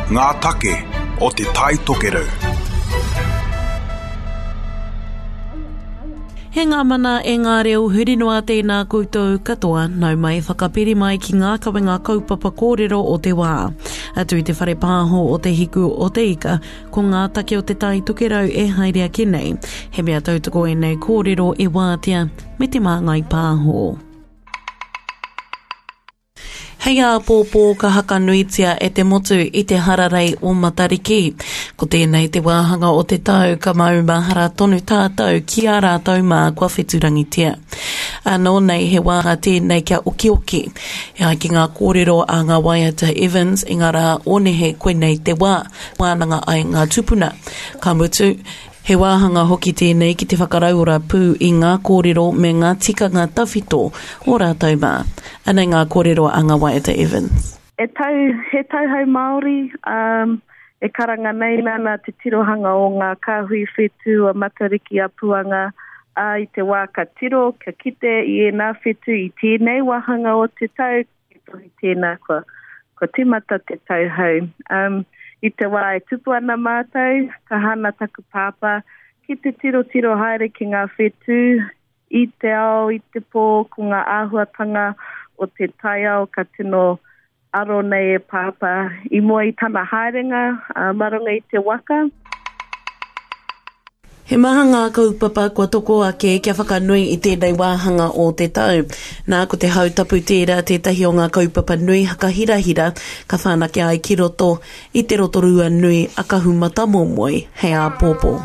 Ngā take o Te Tai Tokerau. He ngā mana e ngā reo huri noa tēnā koutou katoa, nau mai whakapiri mai ki ngā kawenga kaupapa kōrero o te wā. Atu i te whare pāho o Te Hiku o Te Ika, ko ngā take o Te Tai Tokerau e haere ake nei. He mea tautoko ēnei kōrero e wātea me te māngai pāho. Hei āpōpō ka hakanuitia e te motu i te hararei o Matariki. Ko tēnei te wāhanga o te tau ka maumahara tonu tātou ki a rātou mā kua wheturangitia. Anō nei he wāhanga tēnei kia okioki. E ai ki ngā kōrero a ngā waiata Evans i ngā rā o nehe koinei te wā wānanga ai ngā tūpuna. Ka mutu, He wāhanga hoki tēnei ki te whakarauora pū i ngā kōrero me ngā tikanga tawhito o rātou mā. Anei ngā kōrero a Ngawaiata Evans. E tau, he tauhou Māori, ā, e karanga nei nana te tirohanga o ngā kāhui whetū a Matariki a Puanga, ā, i te wā ka tiro, ka kite i ēnā whetū i tēnei wāhanga o te tau, He tohu tēnā kua, kua tīmata te tau hou. Um, I te wā e tupu ana mātou, ka hana taku pāpā ki te tirotiro haere ki ngā whetū i te ao, i te pō, ko ngā āhuatanga o te taiao ka tino aro nei e pāpā i mua i tana haerenga uh, mā runga i te waka. He maha ngā kaupapa kua toko ake kia whakanui i tēnei wāhanga o te tau. Nā, ko te Hautapu tērā tētahi o ngā kaupapa nui hakahirahira ka whanake ai ki roto i te Rotorua nui a Kahumatamomoe hei āpōpō.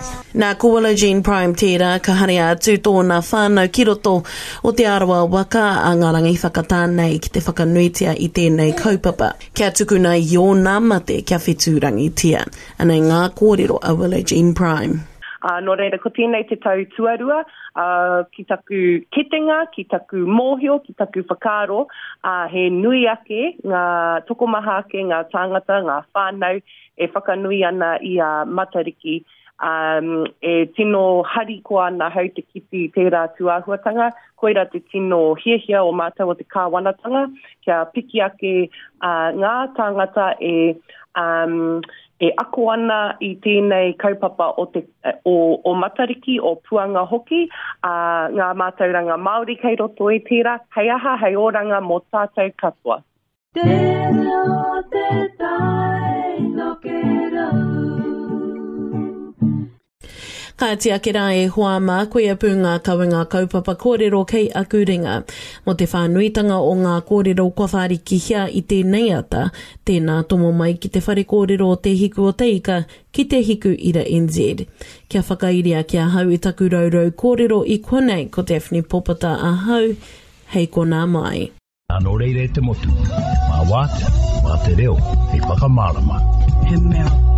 Nā, ko Willow Jean Prime tērā ka haria atu tōna whānau ki roto o Te Arawa waka a Ngā Rangi Whakatā nei ki te whakanuitia i tēnei kaupapa. Kia tukuna i ōna mate kia whetūrangitia. Anei ngā kōrero a Willow Jean Prime. Ā, nō reira, ko tēnei te tau tuarua, ā, ki taku kitenga, ki taku mōhio, ki taku whakaaro, ā, he nui ake ngā, tokomaha ake ngā tāngata, ngā whānau e whakanui ana i a Matariki, ā, e tino harikoa ana ahau te kite i tērā tūāhuatanga, koirā te tino hiahia o mātou o te kāwanatanga, kia piki ake, ā, ngā tāngata e, um, e ako ana i tēnei kaupapa o, te, o, o Matariki, o Puanga hoki, ā, ngā mātauranga Māori kei roto i tērā, hei aha, hei oranga mō tātou katoa. Te reo te tai tokerau. Kāti ake rā e hoa mā, koia pū ngā kawenga kaupapa kōrero kei aku ringa. Mō te whānuitanga o ngā kōrero kua whārikihia i tēnei ata, tēnā tomo mai ki te whare kōrero o Te Hiku o Te Ika ki Te Hiku Ira NZ. Kia whakairia ki ahau i taku rourou kōrero i konei ko Daphne Popata ahau, hei konā mai. Nā nō reira e te motu, mā Wātea, mā te reo, hei whakamārama. He mea.